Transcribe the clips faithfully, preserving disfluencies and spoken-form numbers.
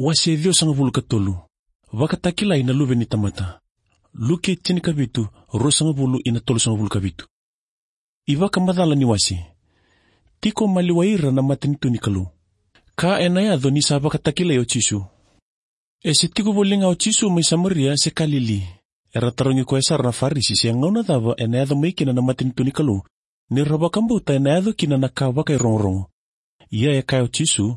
Wase ciwasagavulu ka tolu. Vakatakilai na Luve ni tamata. Luke tinikavitu, ruasagavulu ina tolusagavulu ka vitu. iVakamacala ni wase. Tiko maliwai ira na matanitu ni Kalou. Ka ena yaco ni sa vakatakilai o Jisu. E se tiko voli ga o Jisu mai Samaria se Kalili. Era tarogi koya sara na Farisi se gauna cava ena yaco mai kina na matanitu ni Kalou, ni ra vakabauta ena yaco kina na ka vakairogorogo. Ia e kaya o Jisu,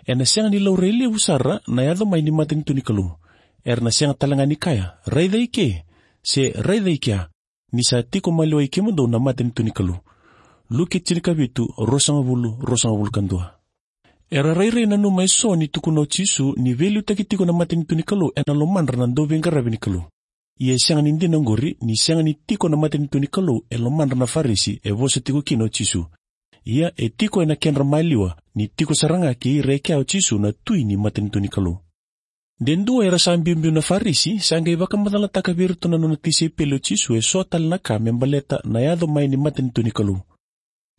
ena sega ni laurai levu sara na yaco mai ni matanitu ni Kalou. Era na sega tale ga ni kaya, raica i ke, se raica i kea, ni sa tiko maliwai kemudou na matanitu ni Kalou. Luke tinikavitu, ruasagavulu, ruasagavulu ka dua. Era rairai nanuma eso ni tukuna o Jisu ni veiliutaki tiko na matanitu ni Kalou ena lomadra na dauveiqaravi ni Kalou. Ia e sega ni dina oqori, ni sega ni tiko na matanitu ni Kalou e lomadra na Farisi e vosa tiko kina o Jisu. Ia e tiko ena kedra maliwa, ni tiko sara ga kei ira e kea o Jisu na tui ni matanitu ni Kalou. De dua era sa biubiu na Farisi, sa qai vakamacalataka vei iratou na nona tisaipeli o Jisu eso tale na ka me baleta na yaco mai ni matanitu ni Kalou.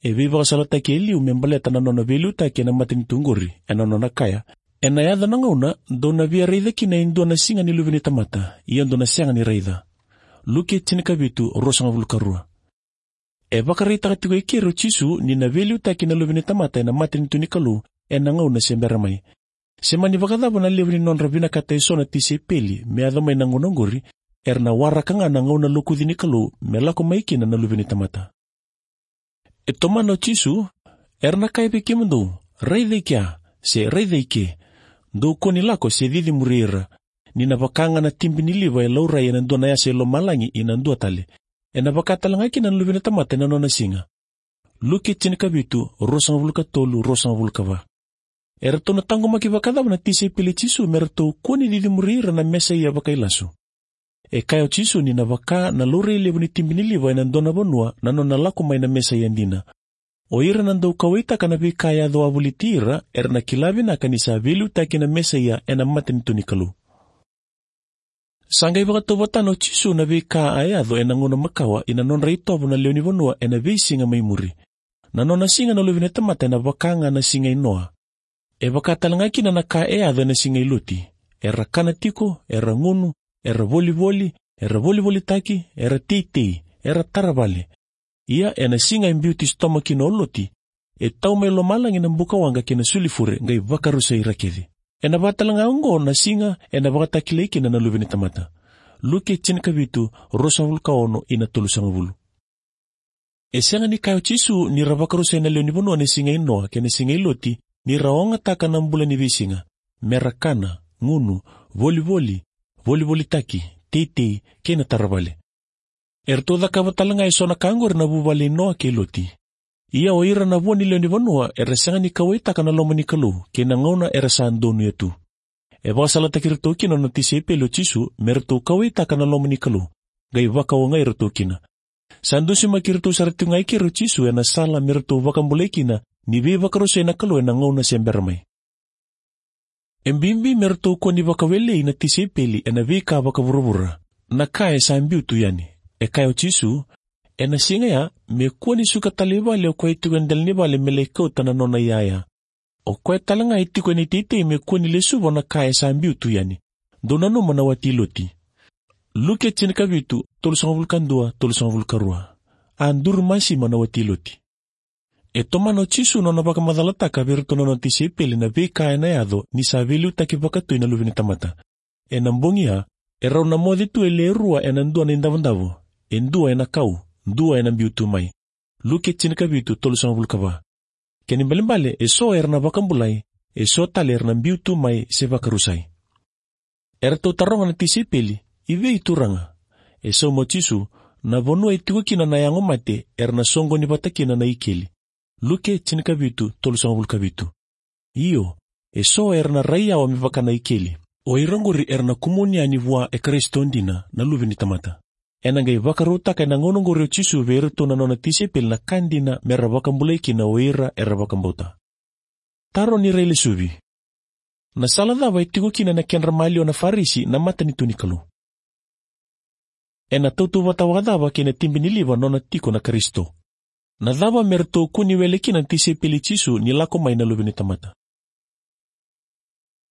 E veivakasalataki e liu me baleta na nona veiliutaki ena matanitu oqori, ena nona kaya, ena yaco na gauna, dou na via raica kina e dua na siga ni Luve ni tamata, ia dou na sega ni raica. Luke tinikavitu, ruasagavulu ka rua. E vakaraitaka tiko e keri o Jisu ni na veiliutaki na Luve ni tamata ena matanitu ni Kalou, ena gauna se bera mai. Se mani vakacava na levu ni nodra vinakata eso na tisaipeli me yaco mai na gauna oqori, era na waraka ga na gauna lokuci ni Kalou me lako mai kina na Luve ni tamata. E tomana o Jisu, era na kaya vei kemudou, raica i kea, se raica i ke, dou kua ni lako se cici muri ira, ni na vaka ga na tibi ni liva e laurai ena dua na yasa e lomalagi ina dua tale, ena vaka tale ga kina na Luve ni tamata ena nona siga. Luke tinikavitu, ruasagavulu ka tolu, ruasagavulu ka va. Eratou na taqomaki vakacava na tisaipeli i Jisu me ratou kua ni cici muri ira na Mesaia vakailasu. E kaya o Jisu ni na vaka na laurai levu ni tibi ni liva ena dua na vanua na nona lako mai na Mesaia dina. O ira na dau kauwaitaka na veika e yaco wavoliti ira, era na kila vinaka ni sa veiliutaki na Mesaia ena matanitu ni Kalou. Sa qai vakatauvatana o Jisu na veika a yaco ena gauna makawa ina nodra itovo na lewe ni vanua ena veisiga mai muri. Na nona siga na Luve ni tamata ena vaka ga na siga i Noa. E vaka tale ga kina na ka e yaco ena siga i Loti. Era kana tiko, era gunu, era volivoli, era volivolitaki, era teitei, era tara vale. Ia ena siga e biuti Sotoma kina o Loti, e tau mai lomalagi na bukawaqa kei na sulifure qai vakarusai ira kece. Ena vaka tale ga oqo na siga ena vakatakilai kina na Luve ni tamata. Luke tinikavitu, ruasagavulu ka ono ina tolusagavulu. E sega ni kaya o Jisu ni ra vakarusai na lewe ni vanua na siga i Noa kei na siga i Loti, ni ra ogataka na bula ni veisiga, me ra kana, gunu, volivoli, volivolitaki, teitei, kei na tara vale. Eratou cakava tale ga eso na ka oqori na vuvale i Noa kei Loti. Ia o ira na vo ni lewe ni vanua era sega ni kauwaitaka na loma ni Kalou kei na gauna era sa donuya tu. E vakasalataki iratou kina na nona tisaipeli o Jisu me ratou kauwaitaka na loma ni Kalou, qai vakaogai iratou kina. Sa dusimaki iratou sara tiko ga i keri o Jisu ena sala me ratou vakabulai kina ni veivakarusai na Kalou ena gauna se bera mai. E bibi me ratou kua ni vakawelei na tisaipeli ena veika vakavuravura, na ka e sa biu tu yani. E kaya o Jisu, ena siga ya, me kua ni suka tale i vale o koya e tiko e dela ni vale me lai kauta na nona iyaya. O koya tale ga e tiko ena iteitei me kua ni lesuva na ka e sa biu tu yani. Dou nanuma na wati i Loti. Luke tinikavitu, tolusagavulu ka dua, tolusagavulu ka rua. A duru masima na wati i Loti. E tomana o Jisu na nona vakamacalataka vei iratou na nona tisaipeli na veika ena yaco ni sa veiliutaki vakatui na Luve ni tamata. Ena bogi ya, erau na moce tu e le rua ena dua na idavodavo, e dua ena kau, dua ena biu tu mai. Luke tinikavitu, tolusagavulu ka va. Kena ibalebale, eso era na vakabulai, eso tale era na biu tu mai se vakarusai. Eratou taroga na tisaipeli, i vei Turaga? E sauma o Jisu, na vanua e tiko kina na yago mate, era na soqoni vata kina na ikeli. Luke tinikavitu, tolusagavulu ka vitu. Io, eso era na rai yawa me vaka na ikeli. O ira oqori era na kumuni yani vua e Karisito dina, na Luve ni tamata. Ena qai vakarautaka ena gauna oqori o Jisu vei iratou na nona tisaipeli na ka dina me ra vakabulai kina o ira era vakabauta. Taro ni railesuvi. Na sala cava e tiko kina na kedra maliwa na Farisi na matanitu ni Kalou? Ena tautauvata vakacava kei na tibi ni liva nona tiko na Karisito? Na cava me ratou kua ni wele kina na tisaipeli i Jisu ni lako mai na Luve ni tamata?